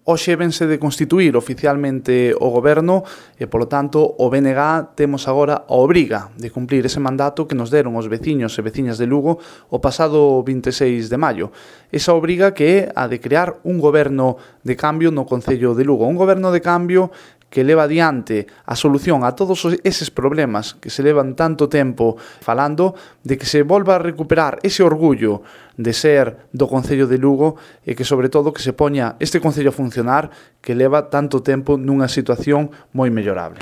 Hoxe vense de constituir oficialmente o goberno e, polo tanto, o BNG temos agora a obriga de cumplir ese mandato que nos deron os veciños e veciñas de Lugo o pasado 26 de maio. Esa obriga que é a de crear un goberno de cambio no Concello de Lugo. Un goberno de cambio que leva adiante a solución a todos eses problemas que se levan tanto tempo falando, de que se volva a recuperar ese orgullo de ser do Concello de Lugo e que, sobre todo, que se poña este Concello a funcionar que leva tanto tempo nunha situación moi mellorable.